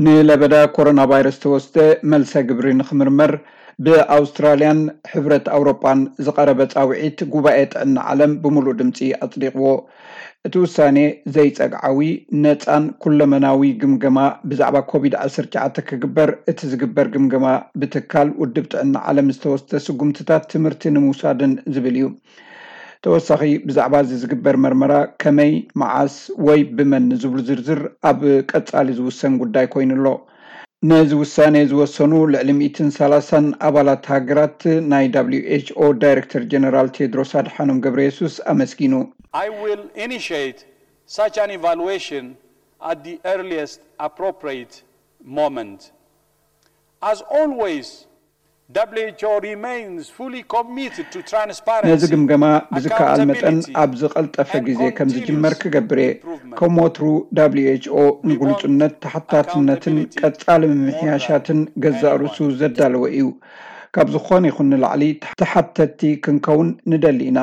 ንለበዳ ኮሮና ቫይረስ ተወስደ መልሰ ግብሪ ንክምርመር ብኣውስትራልያን ሕብረት ኣውሮጳን ዝቐረበ ጻውዒት ጉባኤ ጥዕና ዓለም ብምሉእ ድምፂ ኣጽዲቕዎ። እቲ ውሳኔ ዘይጸግዓዊ፣ ነጻን ኩለመናዊ ግምገማ ብዛዕባ ኮቪድ ዓሰርተ ትሽዓተ ክግበር፣ እቲ ዝግበር ግምገማ ብትካል ውድብ ጥዕና ዓለም ዝተወስደ ስጉምትታት ትምህርቲ ንምውሳድን ዝብል እዩ። ተወሳኺ ብዛዕባ እዚ ዝግበር መርመራ ከመይ፣ መዓስ ወይ ብመን ንዝብሉ ዝርዝር ኣብ ቀጻሊ ዝውሰን ጉዳይ ኮይኑ ኣሎ። ነዚ ውሳኔ ዝወሰኑ ልዕሊ ሚእትን ሰላሳን ኣባላት ሃገራት ናይ ደብሊው ኤች ኦ ዳይሬክተር ጀነራል ቴድሮስ ኣድሓኖም ገብረየሱስ ኣመስጊኑ። I will initiate such an evaluation at the earliest appropriate moment. As always, W H O remains fully committed to transparency, ነዚ ግምገማ ብዝከኣል መጠን accountability, ኣብ ዝቐልጠፈ and ግዜ ከም ዝጅመር continuous ክገብር እየ። improvement. ከም ወትሩ ደብሊው ኤች ኦ ንግሉጽነት፣ ተሓታትነትን ቀጻሊ ምምሕያሻትን ገዛእ ርእሱ ዘዳለወ እዩ። ካብ ዝኾነ ይኹን ንላዕሊ ተሓተትቲ ክንከውን ንደሊ ኢና።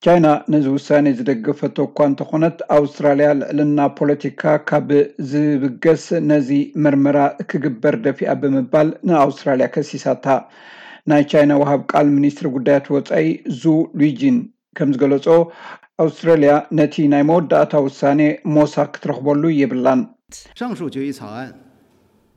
ቻይና ነዚ ውሳኔ ዝደገፈቶ እኳ እንተኾነት፣ ኣውስትራልያ ልዕልና ፖለቲካ ካብ ዝብገስ ነዚ መርመራ ክግበር ደፊኣ ብምባል ንኣውስትራልያ ከሲሳታ። ናይ ቻይና ወሃብ ቃል ሚኒስትሪ ጉዳያት ወጻኢ ዙ ሉጂን ከም ዝገለጾ፣ ኣውስትራልያ ነቲ ናይ መወዳእታ ውሳኔ ሞሳ ክትረኽበሉ የብላን። 上述决议草案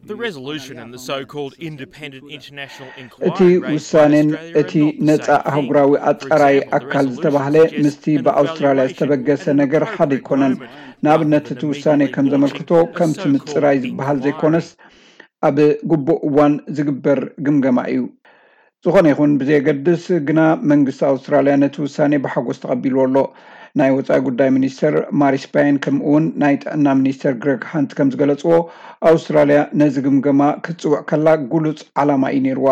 The resolution and the so-called independent international እቲ ውሳኔን እቲ ነጻ ኣህጉራዊ ኣጻራይ ኣካል ዝተባህለ ምስቲ ብኣውስትራልያ ዝተበገሰ ነገር ሓደ ኣይኮነን። ንኣብነት እቲ ውሳኔ ከም ዘመልክቶ ከምቲ ምጽራይ ዝበሃል ዘይኮነስ ኣብ ግቡእ እዋን ዝግበር ግምገማ እዩ። ዝኾነ ይኹን ብዘየገድስ ግና መንግስቲ ኣውስትራልያ ነቲ ውሳኔ ብሓጎስ ተቐቢልዎ ኣሎ። ናይ ወጻኢ ጉዳይ ሚኒስተር ማሪስ ፓየን ከምኡ እውን ናይ ጥዕና ሚኒስተር ግረግ ሃንት ከም ዝገለጽዎ ኣውስትራልያ ነዚ ግምገማ ክትጽውዕ ከላ ግሉጽ ዓላማ እዩ ነይርዋ።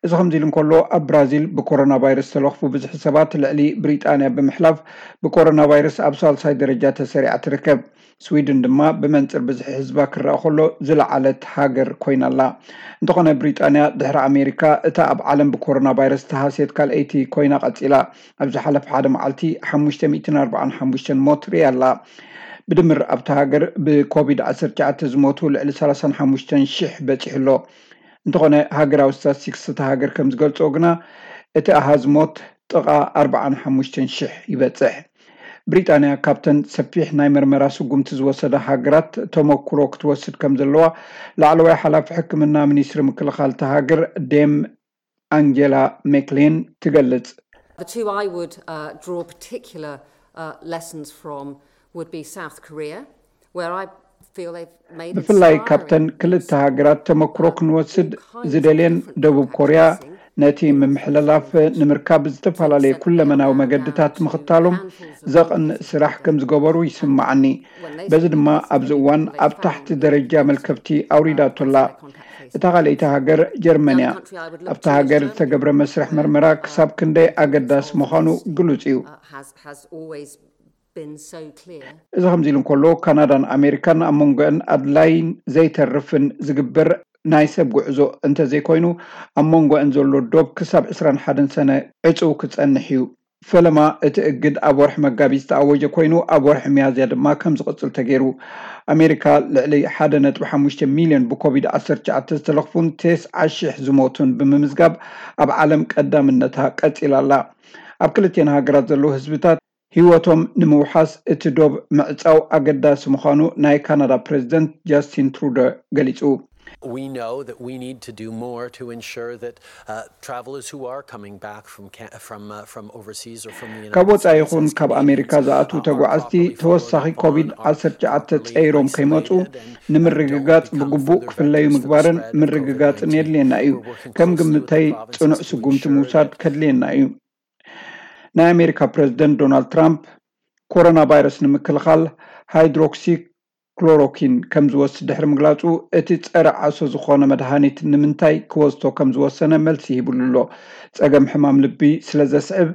እዚ ከምዚ ኢሉ እንከሎ ኣብ ብራዚል ብኮሮና ቫይረስ ዝተለኽፉ ብዝሒ ሰባት ልዕሊ ብሪጣንያ ብምሕላፍ ብኮሮና ቫይረስ ኣብ ሳልሳይ ደረጃ ተሰሪዓ ትርከብ። ስዊድን ድማ ብመንጽር ብዝሒ ህዝባ ክረኣ ከሎ ዝለዓለት ሃገር ኮይና ኣላ። እንተኾነ ብሪጣንያ ድሕሪ ኣሜሪካ እታ ኣብ ዓለም ብኮሮና ቫይረስ ተሃስየት ካልኣይቲ ኮይና ቀጺላ። ኣብ ዝሓለፈ ሓደ መዓልቲ ሓሙሽተ ሚእትን ኣርባዓን ሓሙሽተን ሞት ርእያ ኣላ። ብድምር ኣብታ ሃገር ብኮቪድ ዓሰርተ ትሽዓተ ዝሞቱ ልዕሊ ሰላሳን ሓሙሽተን ሽሕ በጺሑ ኣሎ። እንተኾነ ሃገራዊ ስታትስቲክስ እታ ሃገር ከም ዝገልጾ ግና እቲ ኣሃዝ ሞት ጥቓ ኣርባዓን ሓሙሽተን ሽሕ ይበጽሕ። ብሪጣንያ ካብተን ሰፊሕ ናይ መርመራ ስጉምቲ ዝወሰዳ ሃገራት ተመኩሮ ክትወስድ ከም ዘለዋ ላዕለዋይ ሓላፊ ሕክምና ሚኒስትሪ ምክልኻል እታ ሃገር ዴም ኣንጌላ ሜክሊን ትገልጽ። The two I would uh, draw particular uh, lessons from would be South Korea, where I feel they've made ብፍላይ inspiring ካብተን ክልተ ሃገራት ተመክሮ ክንወስድ ዝደልየን ደቡብ ኮርያ ነቲ ምምሕልላፍ ንምርካብ ዝተፈላለዩ ኩለመናዊ መገድታት ምኽታሎም ዘቕንእ ስራሕ ከም ዝገበሩ ይስምዓኒ። በዚ ድማ ኣብዚ እዋን ኣብ ታሕቲ ደረጃ መልከፍቲ ኣውሪዳቶ ኣላ። እታ ካልኣይቲ ሃገር ጀርመን እያ። ኣብታ ሃገር ዝተገብረ መስርሕ መርመራ ክሳብ ክንደይ ኣገዳሲ ምዃኑ ግሉጽ እዩ። uh, has, has always been so clear. እዚ ከምዚ ኢሉ እንከሎ ካናዳን ኣሜሪካን ኣብ መንጎአን ኣድላይን ዘይተርፍን ዝግበር ናይ ሰብ ጉዕዞ እንተዘይኮይኑ ኣብ መንጎአን ዘሎ ዶብ ክሳብ ዕስራን ሓደን ሰነ ዕጹው ክጸንሕ እዩ። ፈለማ እቲ እግድ ኣብ ወርሒ መጋቢት ዝተኣወጀ ኮይኑ ኣብ ወርሒ ሚያዝያ ድማ ከም ዝቕጽል ተገይሩ። ኣሜሪካ ልዕሊ ሓደ ነጥቢ ሓሙሽተ ሚልዮን ብኮቪድ ዓሰርተ ትሽዓተ ዝተለኽፉን ተስዓ ሽሕ ዝሞቱን ብምምዝጋብ ኣብ ዓለም ቀዳምነታ ቀጺላ ኣላ። ኣብ ክልቲኤን ሃገራት ዘለዉ ህዝብታት ህይወቶም ንምውሓስ እቲ ዶብ ምዕጻው ኣገዳሲ ምዃኑ ናይ ካናዳ ፕረዚደንት ጃስቲን ትሩዶ ገሊጹ። We know that we need to do more to ensure that uh, travelers who are coming back from, can- from, uh, from overseas or from the United ካብ ወጻኢ States ይኹን has ካብ convenience, ኣሜሪካ ዝኣትዉ uh, are ተጓዓዝቲ properly ተወሳኺ followed up ኮቪድ on, are ዓሰርተ ትሽዓተ properly ጸይሮም isolated ከይመጹ and, uh, ንምርግጋጽ don't become ብግቡእ further ክፍለዩ vectors to ምግባርን spread the ምርግጋጽን COVID nineteen. የድልየና እዩ። We're working ከም closely with ግምተይ the province ጽኑዕ to ስጉምቲ ensure ምውሳድ that ከድልየና እዩ። ናይ ኣሜሪካ ፕረዚደንት ዶናልድ ትራምፕ ኮሮና ቫይረስ ንምክልኻል ሃይድሮክሲ ክሎሮኪን ከም ዝወስድ ድሕሪ ምግላጹ፣ እቲ ጸረ ዓሶ ዝኾነ መድሃኒት ንምንታይ ክወስዶ ከም ዝወሰነ መልሲ ሂብሉ ኣሎ። ጸገም ሕማም ልቢ ስለ ዘስዕብ፣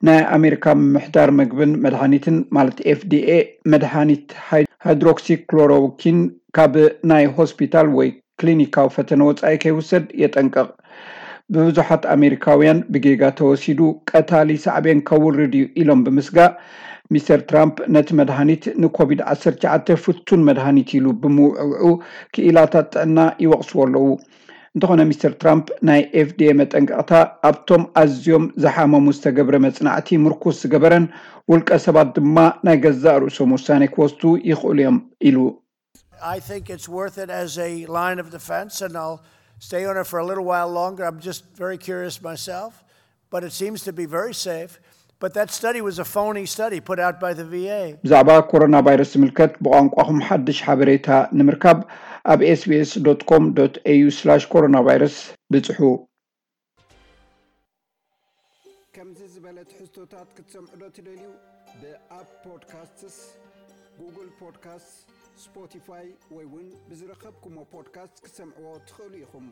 ናይ ኣሜሪካ ምምሕዳር መግብን መድሃኒትን ማለት ኤፍ ዲ ኤ መድሃኒት ሃይ- ሃይድሮክሲክሎሮኪን ካብ ናይ ሆስፒታል ወይ ክሊኒካዊ ፈተነ ወጻኢ ከይውሰድ የጠንቅቕ። ብብዙሓት ኣሜሪካውያን ብጌጋ ተወሲዱ ቀታሊ ሳዕቤን ከውርድ እዩ ኢሎም ብምስጋእ፣ ሚስተር ትራምፕ ነቲ መድሃኒት ንኮቪድ ዓሰርተ ትሽዓተ ፍቱን መድሃኒት ኢሉ ብምውዕውዑ ክኢላታት ጥዕና ይወቕስዎ ኣለዉ። እንተኾነ ሚስተር ትራምፕ ናይ ኤፍዲኤ መጠንቀቕታ ኣብቶም ኣዝዮም ዝሓመሙ ዝተገብረ መጽናዕቲ ምርኩስ ዝገበረን ውልቀ ሰባት ድማ ናይ ገዛእ ርእሶም ውሳኔ ክወስዱ ይኽእሉ እዮም ኢሉ። I think it's worth it as a line of defense, and I'll stay on it for a little while longer. I'm just very curious myself, but it seems to be very safe. But that study was a phony study put out by the V A. ብዛዕባ ኮሮና ቫይረስ ዝምልከት ብቋንቋኹም ሓድሽ ሓበሬታ ንምርካብ ኣብ ኤስቢኤስ ዶት ኮም ዶት ኤዩ ስላሽ ኮሮና ቫይረስ ብጽሑ። ከምዚ ዝበለ ትሕዝቶታት ክትሰምዑ ዶ ትደልዩ? ብኣፕ ፖድካስትስ፣ ጉግል ፖድካስትስ፣ ስፖቲፋይ ወይ እውን ብዝረኸብኩሞ ፖድካስት ክትሰምዕዎ ትኽእሉ ኢኹም።